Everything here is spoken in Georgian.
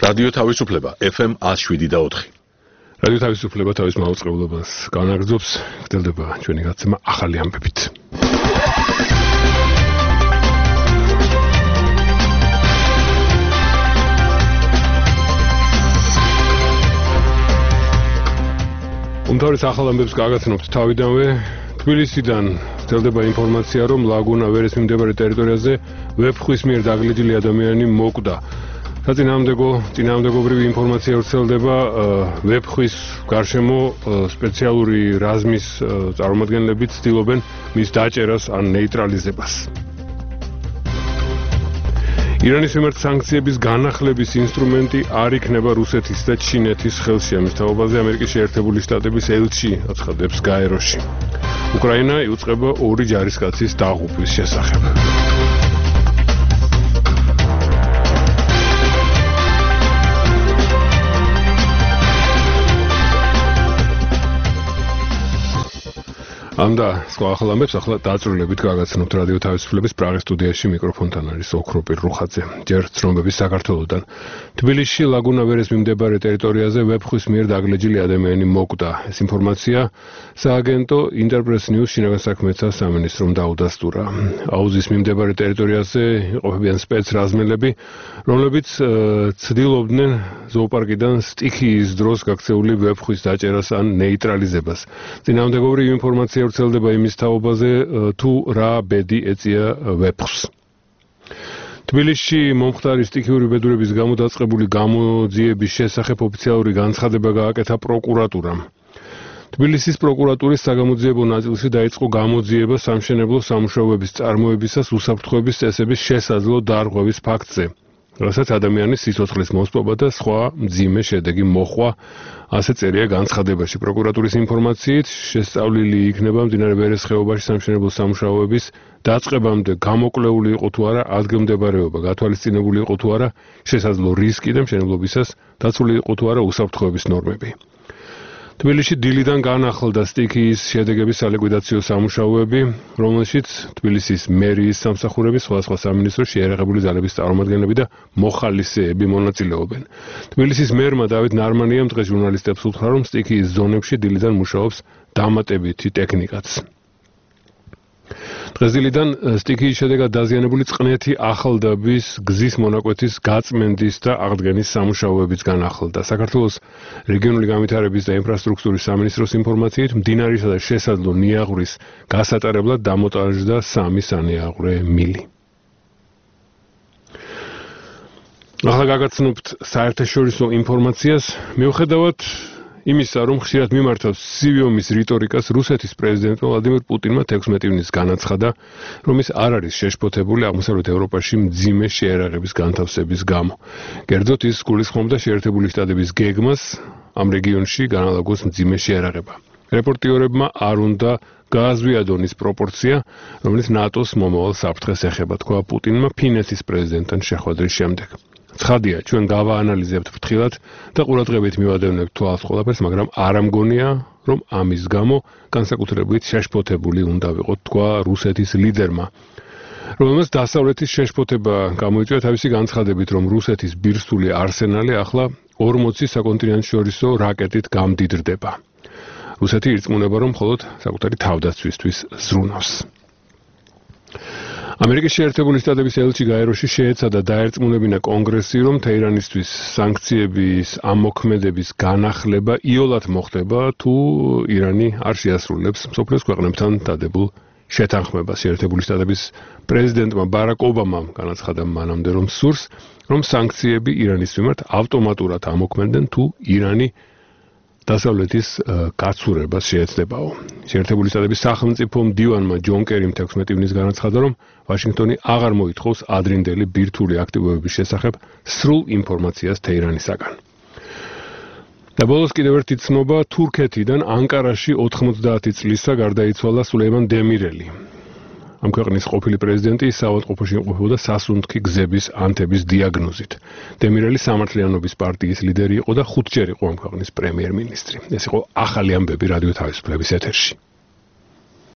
რადიო თავისუფლება FM 107.4. რადიო თავისუფლება თავის მაუწყებლობას განაგრძობს, გრძელდება ჩვენი გაცემა ახალი ამბებით. უმთავრეს ახალ ამბებს გაგაცნობთ თავიდანვე. თბილისიდან გრძელდება ინფორმაცია, რომ ლაგუნა ვერეს მიმდებარე ტერიტორიაზე ვეფხვის მიერ დაგლეჯილი ადამიანი მოკვდა. წინააღმდეგობრივი ინფორმაცია ვრცელდება ვეფხვის გარშემო სპეციალური რაზმის წარმომადგენლები ცდილობენ მის დაჭერას ან ნეიტრალიზებას. ირანის მიმართ სანქციების განახლების ინსტრუმენტი არ იქნება რუსეთის და ჩინეთის ხელში. ამის თაობაზე ამერიკის შეერთებული შტატების ელჩი აცხადებს გაეროში. უკრაინა იუწყება ორი ჯარისკაცის დაღუპვის შესახებ. ამდა სხვა ახალ ამბებს ახლა დაწვრილებით გაგაცნობთ რადიო თავისუფლების პრაღის სტუდიაში. მიკროფონთან არის ოქროპირ რუხაძე. ჯერ ცნობების საქართველოდან. თბილისში ლაგუნა ვერეს მიმდებარე ტერიტორიაზე ვეფხვის მიერ დაგლეჯილი ადამიანი მოკვდა. ეს ინფორმაცია სააგენტო ინტერპრეს ნიუს შინაგან საქმეთა სამინისტრომ დაუდასტურა. აუზის მიმდებარე ტერიტორიაზე იყოფებიან სპეცრაზმელები, რომლებიც ცდილობდნენ ზოოპარკიდან სტიქიის დროს გაქცეული ვეფხვის დაჭერას ან ნეიტრალიზებას. წინააღმდეგობრივი ინფორმაცია ვრცელდება იმის თაობაზე, თუ რა ბედი ეწია ვეფხს. თბილისში მომხდარი სტიქიური ბედურების გამო დაწყებული გამოძიების შესახებ ოფიციალური განცხადება გააკეთა პროკურატურამ. თბილისის პროკურატურის საგამოძიებო ნაწილში დაიწყო გამოძიება სამშენებლო სამუშაოების წარმოებისას უსაფრთხოების წესების შესაძლო დარღვევის ფაქტზე, რასაც ადამიანის სიცოცხლის მოსპობა და სხვა მძიმე შედეგი მოჰყვა, ასე წერია განცხადებაში. პროკურატურის ინფორმაციით შესწავლილი იქნება მდინარე ვერეს ხეობაში სამშენებლო სამუშაოების დაწყებამდე გამოკვლეული იყო თუ არა ადგილმდებარეობა, გათვალისწინებული იყო თუ არა შესაძლო რისკი და მშენებლობისას დაცული იყო თუ არა უსაფრთხოების ნორმები. თბილისში დილიდან განახლდა სტიქიის შედეგების სალიკვიდაციო სამუშაოები, რომელშიც თბილისის მერიის სამსახურები, სხვადასხვა სამინისტროს შეიარაღებული ძალების წარმომადგენლები და მოხალისეები მონაწილეობენ. თბილისის მერმა დავით ნარმანიამ დღეს ჟურნალისტებს უთხრა, რომ სტიქიის ზონებში დილიდან მუშაობს დამატებითი ტექნიკაც. დღეს დილიდან სტიქიის შედეგად დაზიანებული წყნეთი ახალდაბის გზის მონაკვეთის გაწმენდის და აღდგენის სამუშაოებიც განახლდა. საქართველოს რეგიონული განვითარების და ინფრასტრუქტურის სამინისტროს ინფორმაციით მდინარისა და შესაძლო ნიაღვრის გასატარებლად დამონტაჟდა 3 სანიაღვრე მილი. ახლა გაგაცნობთ საერთაშორისო ინფორმაციას. მიუხედავად იმისა, რომ ხშირად მიმართავს ცივი ომის რიტორიკას, რუსეთის პრეზიდენტმა ვლადიმირ პუტინმა 16 ივნისს განაცხადა, რომ ის არ არის შეშფოთებული აღმოსავლეთ ევროპაში მძიმე შეერაღების განთავსების გამო. კერძოდ ის გულისხმობდა შეერთებული შტატების გეგმას ამ რეგიონში განალაგოს მძიმე შეერაღება. რეპორტიორებმა არ უნდა გააზვიადონ ის პროპორცია, რომელიც ნატოს მომავალ საფრთხეს ეხება, თქვა პუტინმა ფინეთის პრეზიდენტთან შეხვედრის შემდეგ. ცხადია, ჩვენ გავაანალიზებთ ფრთხილად და ყურადღებით მივადევნებთ თვალს ყველაფერს, მაგრამ არ ამგონია, რომ ამის გამო განსაკუთრებით შეშფოთებული უნდა ვიყოთ, თქვა რუსეთის ლიდერმა, რომელმაც დასავლეთის შეშფოთება გამოიწვია თავისი განცხადებით, რომ რუსეთის ბირთვული არსენალი ახლა 40 საკონტინენტშორისო რაკეტით გამდიდრდება. რუსეთი ირწმუნება, რომ მხოლოდ საკუთარი თავდაცვისთვის ზრუნავს. ამერიკის შეერთებული შტატების ელჩი გაეროში შეეცადა დაერწმუნებინა კონგრესი, რომ თეირანისთვის სანქციების ამოქმედების განახლება იოლად მოხდება, თუ ირანი არ შეასრულებს მსოფლიოს ქვეყნებთან დადებულ შეთანხმებას. შეერთებული შტატების პრეზიდენტმა ბარაკ ობამამ განაცხადა მანამდე, რომ სურს, რომ სანქციები ირანის მიმართ ავტომატურად ამოქმედდნენ, თუ ირანი დასავლეთის გაცურებას შეეცდებაო. შეერთებული შტატების სახელმწიფო მდივანმა ჯონ კერიმ 16 ივნისს განაცხადა, რომ ვაშინგტონი აღარ მოითხოვს ადრინდელი ბირთვული აქტივობების შესახებ სრულ ინფორმაციას თეირანისაგან. და ბოლოს კიდევ ერთი ცნობა, თურქეთიდან ანკარაში 90 წლისა გარდაიცვალა სულეიმან დემირელი. ამ ქვეყნის ყოფილი პრეზიდენტი საავადმყოფოში იმყოფებოდა სასუნთქი გზების ანთების დიაგნოზით. დემირელი სამართლიანობის პარტიის ლიდერი იყო და 5 ჯერ იყო ამ ქვეყნის პრემიერ-მინისტრი. ეს იყო ახალი ამბები რადიო თავისუფლების ეთერში.